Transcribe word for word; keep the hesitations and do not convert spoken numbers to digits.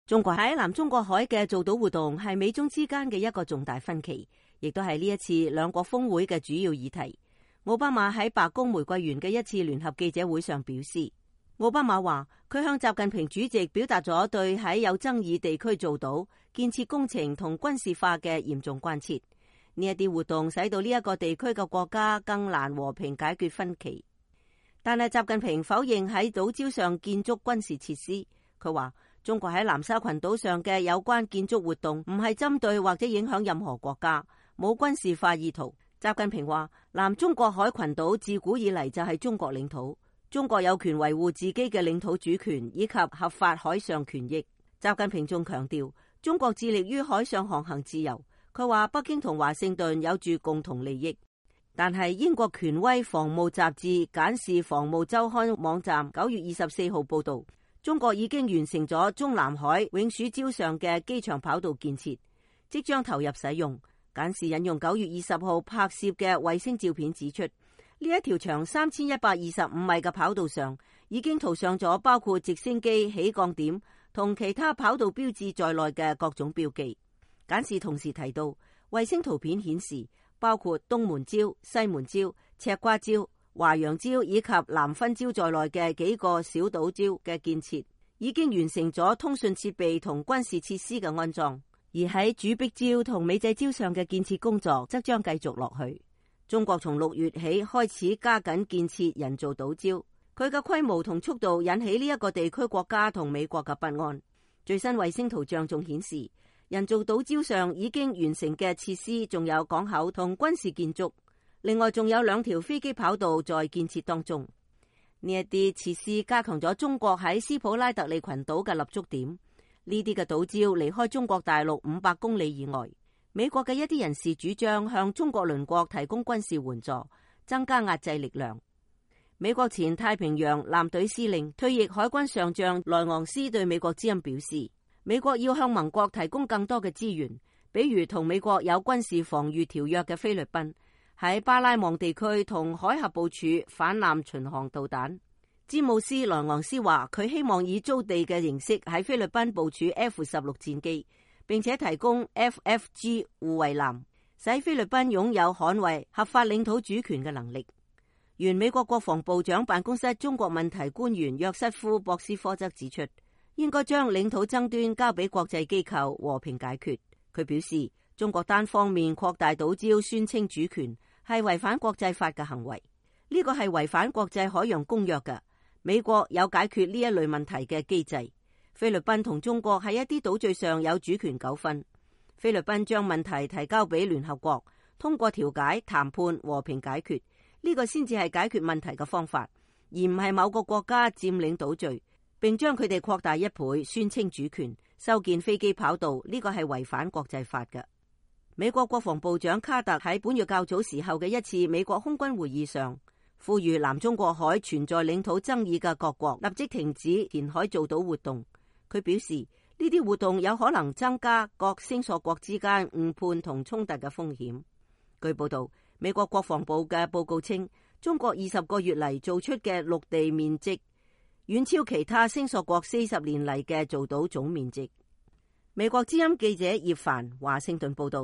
中國喺南中國海嘅造島活動係美中之間嘅一個重大分歧，亦都係呢一次兩國峰會嘅主要議題。奧巴馬喺白宮玫瑰園嘅一次聯合記者會上表示，奧巴馬話佢向習近平主席表達咗對喺有爭議地區造島建設工程同軍事化嘅嚴重關切。呢一啲活動使到呢一個地區嘅國家更難和平解決分歧。但係習近平否認喺島礁上建築軍事設施。佢話中國喺南沙群島上嘅有關建築活動唔係針對或者影響任何國家，冇軍事化意圖。習近平話南中國海群島自古以嚟就係中國領土，中國有權維護自己嘅領土主權以及合法海上權益。習近平仲強調中國致力於海上航行自由。佢話北京同華盛頓有住共同利益。但係英國權威防務雜誌簡氏防務週刊網站九月二十四號報道，中國已經完成咗中南海永暑礁上嘅機場跑道建設，即將投入使用。簡氏引用九月二十號拍攝嘅衛星照片指出，呢一條長三千一百二十五米嘅跑道上已經塗上咗包括直升機起降點同其他跑道標誌在內嘅各種標記。簡氏同時提到，衛星圖片顯示，包括東門礁、西門礁、赤瓜礁、華陽礁以及南分礁在內嘅幾個小島礁嘅建設，已經完成咗通訊設備同軍事設施嘅安裝。而喺主碧礁同美濟礁上嘅建設工作則將繼續落去。中國從六月起開始加緊建設人造島礁，佢嘅規模同速度引起呢一個地區國家同美國嘅不安。最新衛星圖像仲顯示，人造島礁上已經完成嘅設施仲有港口同軍事建築，另外仲有兩條飛機跑道在建設當中。呢一啲設施加強咗中國喺斯普拉特利群島嘅立足點。呢啲嘅島礁離開中國大陸五百公里以外。美國嘅一啲人士主張向中國鄰國提供軍事援助，增加壓制力量。美國前太平洋艦隊司令、退役海軍上將萊昂斯對美國之音表示，美國要向盟國提供更多嘅資源，比如同美國有軍事防禦條約嘅菲律賓，喺巴拉望地區同海峽部署反艦巡航導彈。詹姆斯·萊昂斯話，佢希望以租地嘅形式喺菲律賓部署 F 十六戰機，並且提供 F F G 護衛艦，使菲律賓擁有捍衛合法領土主權嘅能力。原美國國防部長辦公室中國問題官員約瑟夫·博斯科則指出，應該將領土爭端交俾國際機構和平解決。佢表示，中國單方面擴大島礁宣稱主權係違反國際法嘅行為，呢個係違反國際海洋公約嘅。美國有解決呢一類問題嘅機制。菲律賓同中國喺一啲島嶼上有主權糾紛，菲律賓將問題提交俾聯合國，通過調解、談判、和平解決，呢個先至係解決問題嘅方法，而唔係某個國家佔領島嶼並將佢哋擴大一倍，宣稱主權、修建飛機跑道，呢個係違反國際法嘅。美國國防部長卡特喺本月較早時候嘅一次美國空軍會議上，呼籲南中國海存在領土爭議嘅各國立即停止填海造島活動。佢表示，呢啲活動有可能增加各星索國之間誤判同衝突嘅風險。據報道，美國國防部嘅報告稱，中國二十個月嚟做出嘅陸地面積遠超其他星索國四十年嚟嘅造島總面積。美國之音記者葉凡華盛頓報道。